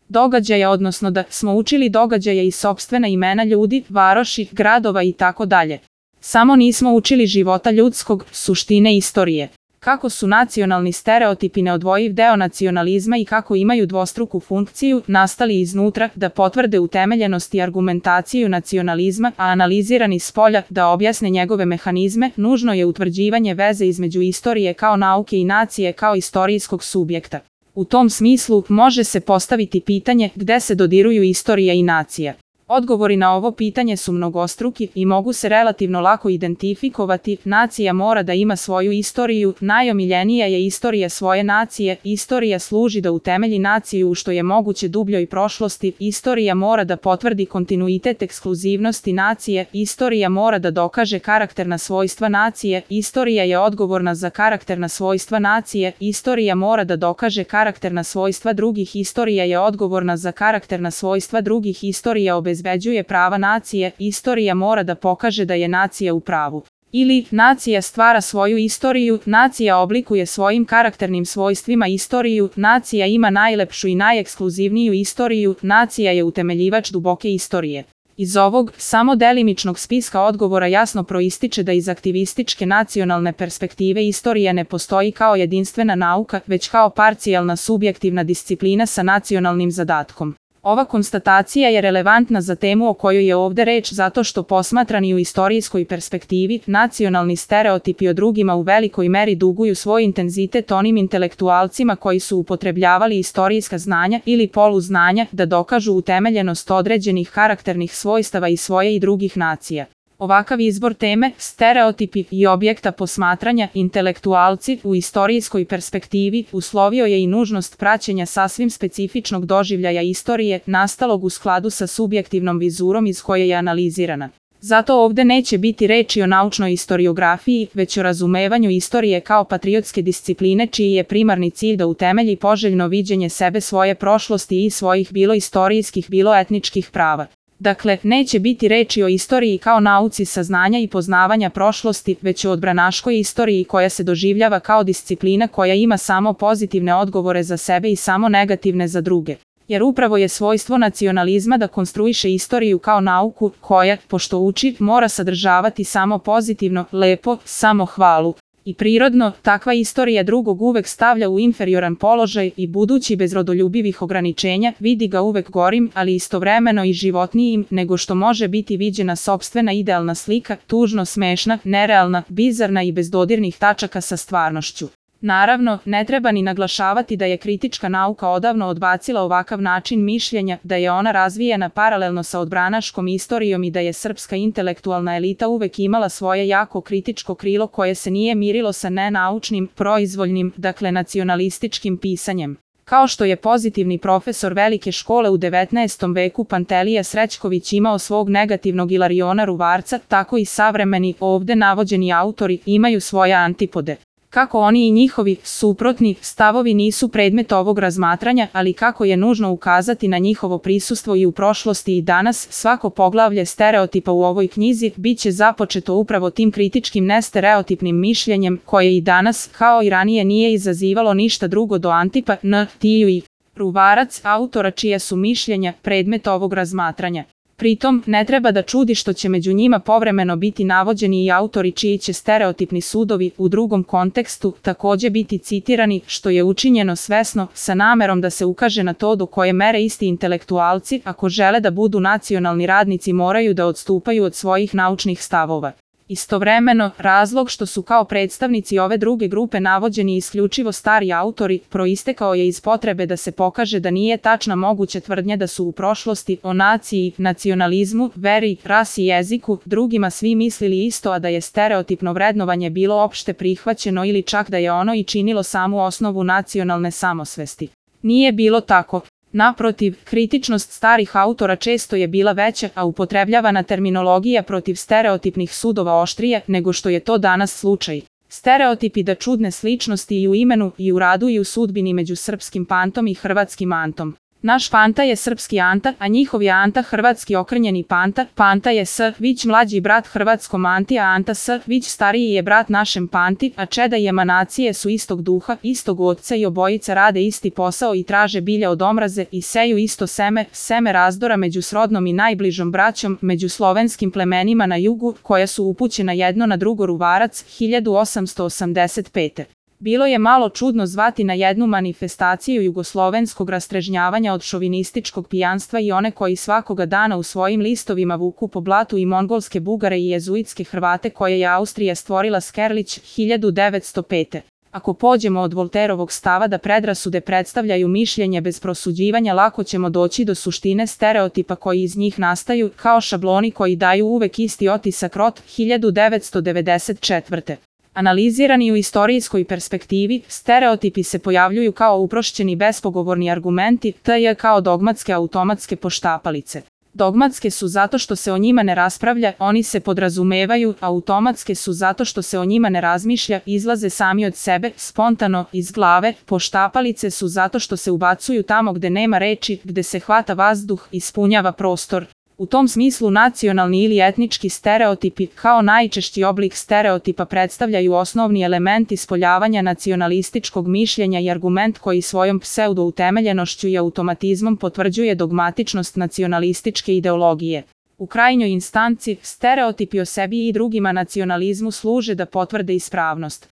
događaja, odnosno da smo učili događaje i sopstvena imena ljudi, varoši, gradova i tako dalje. Samo nismo učili života ljudskog, suštine istorije. Kako su nacionalni stereotipi neodvojiv deo nacionalizma i kako imaju dvostruku funkciju, nastali iznutra, da potvrde utemeljenost i argumentaciju nacionalizma, a analizirani spolja, da objasne njegove mehanizme, nužno je utvrđivanje veze između istorije kao nauke i nacije kao istorijskog subjekta. U tom smislu, može se postaviti pitanje gde se dodiruju istorija i nacija. Odgovori na ovo pitanje su mnogostruki i mogu se relativno lako identifikovati. Nacija mora da ima svoju istoriju, najomiljenija je istorija svoje nacije, istorija služi da utemelji naciju u što je moguće dubljoj prošlosti, istorija mora da potvrdi kontinuitet ekskluzivnosti nacije, istorija mora da dokaže karakterna svojstva nacije, istorija je odgovorna za karakterna svojstva nacije, istorija mora da dokaže karakterna svojstva drugih, istorija je odgovorna za karakterna svojstva drugih, istorija obezbeđuje prava nacije, istorija mora da pokaže da je nacija u pravu. Ili, nacija stvara svoju istoriju, nacija oblikuje svojim karakternim svojstvima istoriju, nacija ima najlepšu i najekskluzivniju istoriju, nacija je utemeljivač duboke istorije. Iz ovog, samo delimičnog spiska odgovora jasno proističe da iz aktivističke nacionalne perspektive istorija ne postoji kao jedinstvena nauka, već kao parcijalna subjektivna disciplina sa nacionalnim zadatkom. Ova konstatacija je relevantna za temu o kojoj je ovde reč zato što posmatrani u istorijskoj perspektivi, nacionalni stereotipi o drugima u velikoj meri duguju svoj intenzitet onim intelektualcima koji su upotrebljavali istorijska znanja ili poluznanja da dokažu utemeljenost određenih karakternih svojstava i svoje i drugih nacija. Ovakav izbor teme, stereotipi i objekta posmatranja, intelektualci u istorijskoj perspektivi, uslovio je i nužnost praćenja sasvim specifičnog doživljaja istorije, nastalog u skladu sa subjektivnom vizurom iz koje je analizirana. Zato ovde neće biti reči o naučnoj istoriografiji, već o razumevanju istorije kao patriotske discipline čiji je primarni cilj da utemelji poželjno viđenje sebe, svoje prošlosti i svojih bilo istorijskih, bilo etničkih prava. Dakle, neće biti reči o istoriji kao nauci saznanja i poznavanja prošlosti, već o odbranaškoj istoriji koja se doživljava kao disciplina koja ima samo pozitivne odgovore za sebe i samo negativne za druge. Jer upravo je svojstvo nacionalizma da konstruiše istoriju kao nauku koja, pošto uči, mora sadržavati samo pozitivno, lepo, samo hvalu. I prirodno, takva istorija drugog uvek stavlja u inferioran položaj i budući bez rodoljubivih ograničenja, vidi ga uvek gorim, ali istovremeno i životnijim, nego što može biti viđena sopstvena idealna slika, tužno smešna, nerealna, bizarna i bez dodirnih tačaka sa stvarnošću. Naravno, ne treba ni naglašavati da je kritička nauka odavno odbacila ovakav način mišljenja, da je ona razvijena paralelno sa odbranaškom istorijom i da je srpska intelektualna elita uvek imala svoje jako kritičko krilo koje se nije mirilo sa nenaučnim, proizvoljnim, dakle nacionalističkim pisanjem. Kao što je pozitivni profesor velike škole u 19. veku Pantelija Srećković imao svog negativnog Ilariona Ruvarca, tako i savremeni, ovde navođeni autori, imaju svoje antipode. Kako oni i njihovi suprotni stavovi nisu predmet ovog razmatranja, ali kako je nužno ukazati na njihovo prisustvo i u prošlosti i danas, svako poglavlje stereotipa u ovoj knjizi biće započeto upravo tim kritičkim nestereotipnim mišljenjem, koje i danas, kao i ranije, nije izazivalo ništa drugo do Antipa N. Tiju i Ruvarac, autora čija su mišljenja predmet ovog razmatranja. Pritom, ne treba da čudi što će među njima povremeno biti navođeni i autori čiji će stereotipni sudovi u drugom kontekstu takođe biti citirani, što je učinjeno svesno, sa namerom da se ukaže na to do koje mere isti intelektualci, ako žele da budu nacionalni radnici, moraju da odstupaju od svojih naučnih stavova. Istovremeno, razlog što su kao predstavnici ove druge grupe navođeni isključivo stari autori, proistekao je iz potrebe da se pokaže da nije tačna moguća tvrdnja da su u prošlosti o naciji, nacionalizmu, veri, rasi i jeziku, drugima svi mislili isto, a da je stereotipno vrednovanje bilo opšte prihvaćeno ili čak da je ono i činilo samu osnovu nacionalne samosvesti. Nije bilo tako. Naprotiv, kritičnost starih autora često je bila veća, a upotrebljavana terminologija protiv stereotipnih sudova oštrija nego što je to danas slučaj. Stereotipi da čudne sličnosti i u imenu, i u radu, i u sudbini među srpskim pantom i hrvatskim antom. Naš Panta je srpski Anta, a njihov je Anta hrvatski okrnjeni Panta. Panta je Vić mlađi brat hrvatskom Anti, a Anta Vić stariji je brat našem Panti, a čeda i emanacije su istog duha, istog oca i obojica rade isti posao i traže bilja od omraze i seju isto seme, seme razdora među srodnom i najbližom braćom, među slovenskim plemenima na jugu, koja su upućena jedno na drugo. Ruvarac, 1885. Bilo je malo čudno zvati na jednu manifestaciju jugoslovenskog rastrežnjavanja od šovinističkog pijanstva i one koji svakoga dana u svojim listovima vuku po blatu i mongolske Bugare i jezuitske Hrvate koje je Austrija stvorila. Skerlić, 1905. Ako pođemo od Volterovog stava da predrasude predstavljaju mišljenje bez prosuđivanja, lako ćemo doći do suštine stereotipa koji iz njih nastaju, kao šabloni koji daju uvek isti otisak. Rot, 1994. Analizirani u istorijskoj perspektivi, stereotipi se pojavljuju kao uprošćeni bespogovorni argumenti, t.j. kao dogmatske automatske poštapalice. Dogmatske su zato što se o njima ne raspravlja, oni se podrazumevaju, automatske su zato što se o njima ne razmišlja, izlaze sami od sebe, spontano, iz glave, poštapalice su zato što se ubacuju tamo gde nema reči, gde se hvata vazduh, ispunjava prostor. U tom smislu nacionalni ili etnički stereotipi, kao najčešći oblik stereotipa, predstavljaju osnovni element ispoljavanja nacionalističkog mišljenja i argument koji svojom pseudo-utemeljenošću i automatizmom potvrđuje dogmatičnost nacionalističke ideologije. U krajnjoj instanci, stereotipi o sebi i drugima nacionalizmu služe da potvrde ispravnost